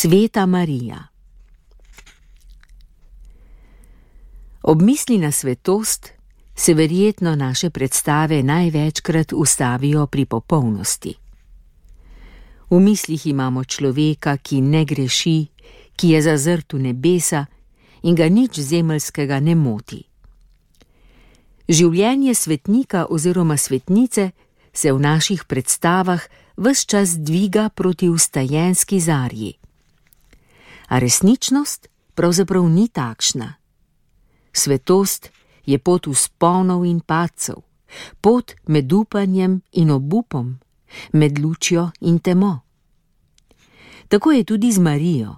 Sveta Marija. Ob misli na svetost se verjetno naše predstave največkrat ustavijo pri popolnosti. V mislih imamo človeka, ki ne greši, ki je zazrt v nebesa in ga nič zemeljskega ne moti. Življenje svetnika oziroma svetnice se v naših predstavah ves čas dviga proti vstajenski zarji. A resničnost pravzaprav ni takšna. Svetost je pot vzponov in padcev, pot med upanjem in obupom, med lučjo in temo. Tako je tudi z Marijo.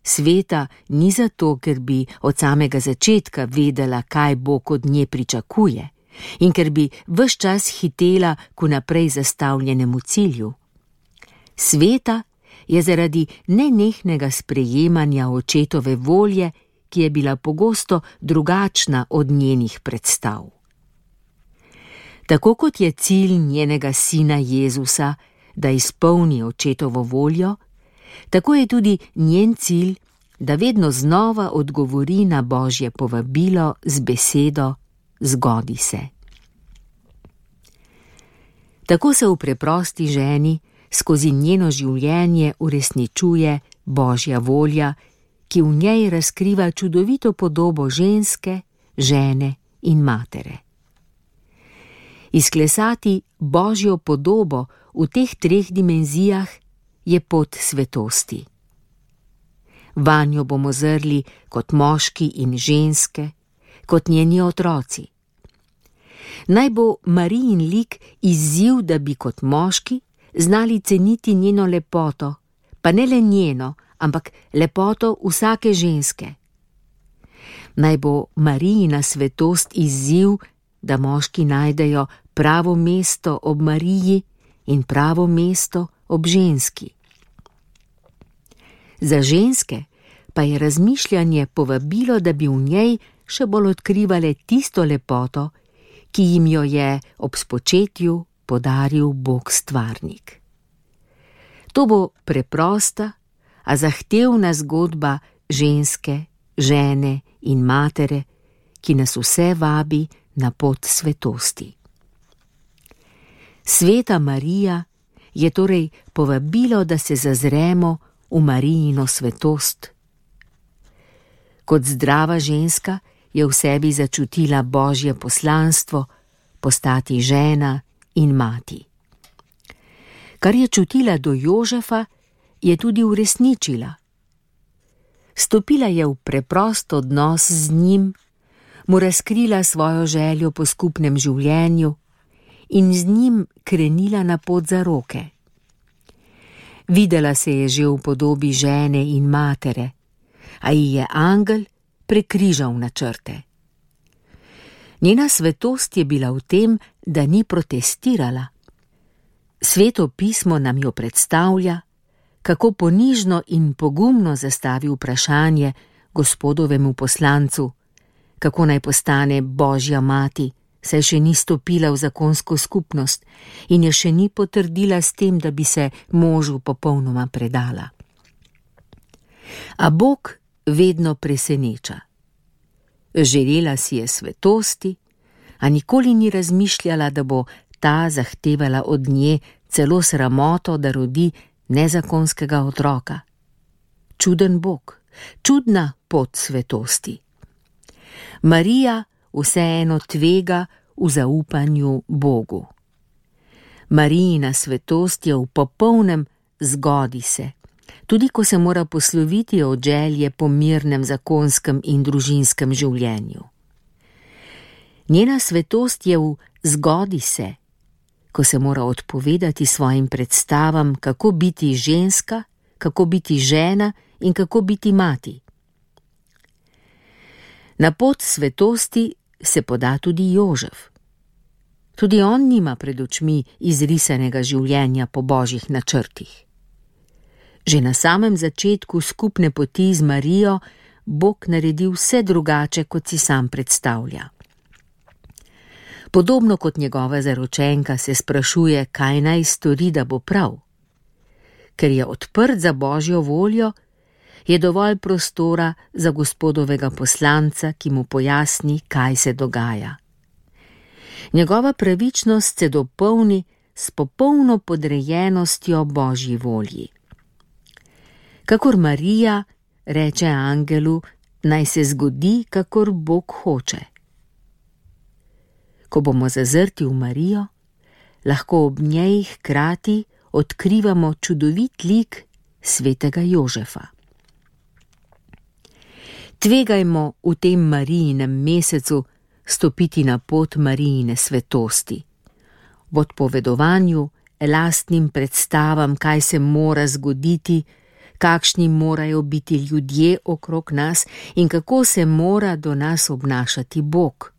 Sveta ni zato, ker bi od samega začetka vedela, kaj Bog od nje pričakuje in ker bi ves čas hitela k naprej zastavljenemu cilju. Sveta je zaradi nenehnega sprejemanja očetove volje, ki je bila pogosto drugačna od njenih predstav. Tako kot je cilj njenega sina Jezusa, da izpolni očetovo voljo, tako je tudi njen cilj, da vedno znova odgovori na Božje povabilo z besedo zgodi se. Tako se v preprosti ženi skozi njeno življenje uresničuje Božja volja, ki v njej razkriva čudovito podobo ženske, žene in matere. Izklesati Božjo podobo v teh treh dimenzijah je pot svetosti. Vanjo bomo zrli kot moški in ženske, kot njeni otroci. Naj bo Marijin lik izziv, da bi kot moški znali ceniti njeno lepoto, pa ne le njeno, ampak lepoto vsake ženske. Naj bo Marijina svetost izziv, da moški najdejo pravo mesto ob Mariji in pravo mesto ob ženski. Za ženske pa je razmišljanje povabilo, da bi v njej še bolj odkrivale tisto lepoto, ki jim jo je ob spočetju podaril Bog stvarnik. To bo preprosta, a zahtevna zgodba ženske, žene in matere, ki nas vse vabi na pot svetosti. Sveta Marija je torej povabilo, da se zazremo v Marijino svetost. Kot zdrava ženska je v sebi začutila Božje poslanstvo postati žena in mati. Kar je čutila do Jožefa, je tudi uresničila. Stopila je v preprost odnos z njim, mu razkrila svojo željo po skupnem življenju in z njim krenila na pot zaroke. Videla se je že v podobi žene in matere, a ji je angel prekrižal načrte. Njena svetost je bila v tem, da ni protestirala. Sveto pismo nam jo predstavlja, kako ponižno in pogumno zastavi vprašanje Gospodovemu poslancu, kako naj postane Božja mati, saj še ni stopila v zakonsko skupnost in je še ni potrdila s tem, da bi se možu popolnoma predala. A Bog vedno preseneča. Želela si je svetosti, a nikoli ni razmišljala, da bo ta zahtevala od nje celo sramoto, da rodi nezakonskega otroka. Čuden Bog, čudna pot svetosti. Marija vseeno tvega v zaupanju Bogu. Marijina svetost je v popolnem zgodi se, tudi ko se mora posloviti od želje po mirnem zakonskem in družinskem življenju. Njena svetost je v zgodi se, ko se mora odpovedati svojim predstavam, kako biti ženska, kako biti žena in kako biti mati. Na pot svetosti se poda tudi Jožef. Tudi on nima pred očmi izrisanega življenja po Božjih načrtih. Že na samem začetku skupne poti z Marijo Bog naredi vse drugače, kot si sam predstavlja. Podobno kot njegova zaročenka se sprašuje, kaj naj stori, da bo prav. ker je odprt za Božjo voljo, je dovolj prostora za Gospodovega poslanca, ki mu pojasni, kaj se dogaja. Njegova pravičnost se dopolni s popolno podrejenostjo Božji volji. Kakor Marija reče angelu, naj se zgodi, kakor Bog hoče. Ko bomo zazrti v Marijo, lahko ob njej hkrati odkrivamo čudovit lik svetega Jožefa. Tvegajmo v tem Marijinem mesecu stopiti na pot Marijine svetosti. V odpovedovanju, lastnim predstavam, kaj se mora zgoditi, kakšni morajo biti ljudje okrog nas in kako se mora do nas obnašati Bog.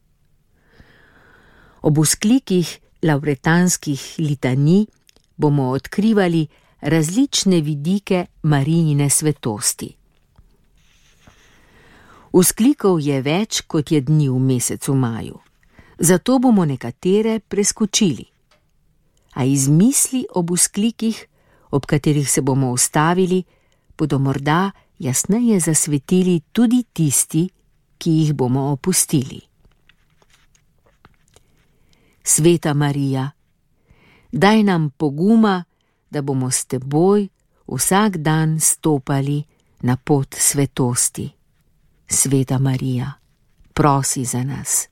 Ob vzklikih lavretanskih litanij bomo odkrivali različne vidike Marijine svetosti. Vzklikov je več, kot je dni v mesecu maju, zato bomo nekatere preskočili. A iz misli ob vzklikih, ob katerih se bomo ustavili, bodo morda jasneje zasvetili tudi tisti, ki jih bomo opustili. Sveta Marija, daj nam poguma, da bomo s teboj vsak dan stopali na pot svetosti. Sveta Marija, prosi za nas.